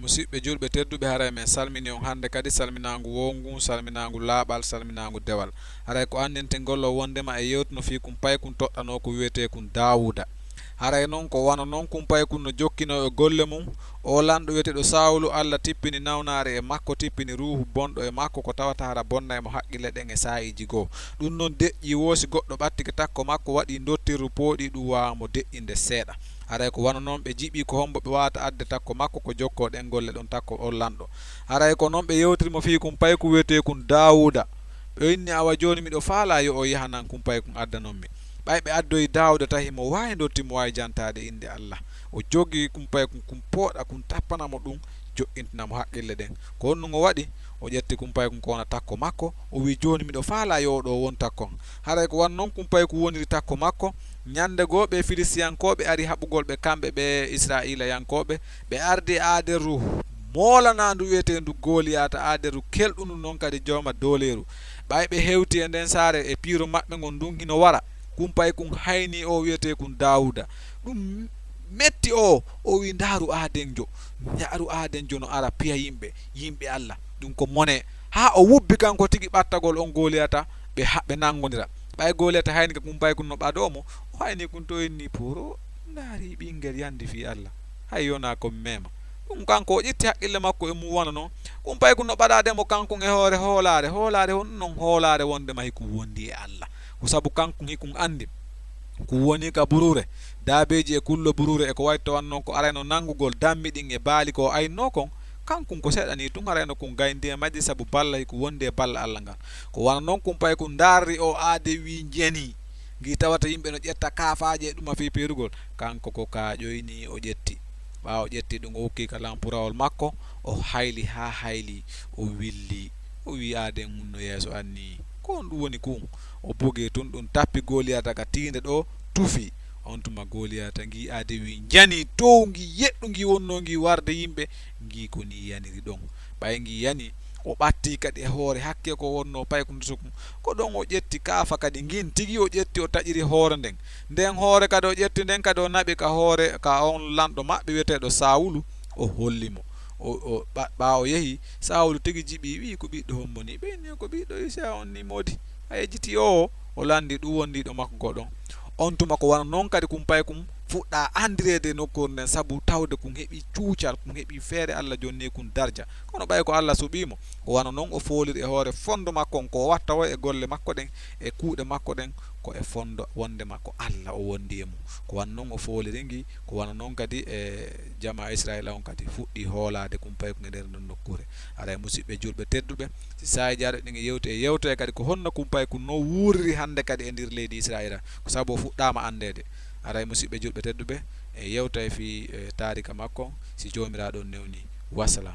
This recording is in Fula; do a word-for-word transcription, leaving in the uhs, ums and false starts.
Musidɓe julɓe tedduɓe, haray men salmini on hannde kadi salminaangu woowngu, salminaangu laaɓal, salminaangu dewal. Haray ko anndintingol o wonndema e yewtuno fii kun paykun toɗɗanoo ko wi'eteekun Daawuuda. Haray non ko wano non kun paykun no jokkinoo e golle mun. Oo lanɗo wi'eteeɗo Sawulu, Alla tippini nawnaare e makko, tippini ruuhu bonɗo e makko, ko tawata hara bonnay mo haqqille ɗen e saa'iiji goo. Ɗun non deƴƴii woo si goɗɗo ɓattike takko makko, waɗii ndottirru pooɗii, ɗun waawaa mo deƴƴinde seeɗa. Haray ko wano non ɓe jiɓii ko hombo ɓe waawata adde takko makko ko jokkoo ɗen golle ɗon takko on lanɗo. Haray ko non ɓe yewtiri mo fii kun paykun wi'eteekun Daawuuda. Ɓe inni, "Awa jooni miɗo faalaa yo o yahanan kun paykun addanon mi." Ɓay ɓe addoyi Daawuuda tahi mo waawi ndotti, mo waawi jantaade innde Alla. O jogii kun paykun kun pooɗa kun tappana mo ɗun, jo'intina mo haqqille ɗen. Ko honɗun o waɗi? O ƴetti kun paykun ko wona takko makko, o wi'i, "Jooni miɗo faalaa yo o ɗoo won takko an." Haray ko wano non kun paykun woniri takko makko. Ñannde goo ɓee Filistiyankooɓe ari haɓugol ɓe kamɓe ɓee Israa'iilayankooɓe, ɓe ardi e aaderru moolanaandu wi'eteendu Goliyaata, aaderru kelɗundu non kadi jooma dooleeru. Ɓay ɓe hewti e nden saare e piiro maɓɓe ngon ndun hino wara, kun paykun haynii oo wi'eteekun Daawuuda. Ɗun metti oo, o wi'i, "Ndaaru aadenjo, ndaaru aadenjo no ara piya yimɓe, yimɓe Alla. Ɗun ko mone." Haa o wubbi kanko tigi ɓattagol on Goliyaata, ɓe ha-, ɓe nangondira. Ɓay Goliyaata hayni ka kun paykun no ɓadoo mo, o hayni kun to inni, "Pooro, ndaari ɓingel yandi fii Alla. Hay yonaa ko mi meema." Ɗun kanko o ƴetti haqqille makko e mun wano non. Kun paykun no ɓadaade mo kankun e hoore hoolaare, hoolaare honɗun non hoolaare wonndema hikun wonndi e Alla. Ko sabu kankun hikun anndi. Kun woni ka buruure, daabeeji e kullo buruure e ko wayi to wano non ko arayno nangugol dammi ɗin e baali ko o aynnoo kon, kankun ko seeɗa nii tun arayno kun gayndi e majji sabu balla hikun wonndi e balla Alla ngan. Ko wano non kun paykun ndaarri oo aade wi'i njeni. Ngi tawata yimɓe no ƴetta kaafaaje e ɗuma fii peerugol, kanko ko kaaƴoy nii o ƴetti. Ɓaawo ƴetti ɗun o ukki ka lampurawol makko, o hayli haa hayli, o willi. O wi'i aaden mun no yeeso an nii. Ko honɗun woni kun? O bugi tun ɗun tappi Goliyaata ka tiinde ɗoo, tufi. On tuma Goliyaata ngi aade wi'i njani dow ngi yeɗɗu ngi wonnoo ngi warde yimɓe, ngi ko nii yaniri ɗon. Ɓay ngi yani, o ɓattii kadi e hoore hakke ko wonnoo paykun sukun. Ko ɗon o ƴetti kaafa kadi ngin tigi o ƴetti o taƴiri hoore nden. Nden hoore kadi o ƴetti nden kadi o naɓi ka hoore ka on lanɗo maɓɓe wi'eteeɗo Sawulu, o holli mo. O, o, ɓa-, ɓaawo yehi, Sawulu tigi jiɓi, wi'i, "Ko ɓiɗɗo hombo nii?" Ɓe inni, "Ko ɓiɗɗo Isay on nii moodi." A yejjiti o, o landi ɗun wondiiɗo makko ko ɗon. On tuma ko wano non kadi kun paykun fuɗɗa andireede e nokkuure nden sabu tawde kun heɓi cuucal, kun heɓi feere Alla jonni kun darja. Kono ɓay ko Alla suɓii mo, ko wano non o fooliri e hoore fondo makko on ko o watta o e golle makko ɗen e kuuɗe makko ɗen ko e fondo wondema ko Alla o wondi e mun. Ko wano non o fooliri ngi, ko wano non kadi e jamaa Israa'iila on kadi fuɗɗi hoolaade kun paykun e nder ndon nokkuure. Haray musidɓe julɓe tedduɓe, si saa'i jaaɗo ɗin e yewte e yewtoye kadi ko honno kun paykun no wuuriri hannde kadi e nder leydi Israa'iila, ko sabu o fuɗɗaama anndeede. Haray musidɓe julɓe tedduɓe, e yewtoye fii, e, taarika makko, si Joomiraaɗo on newni. Wassalam.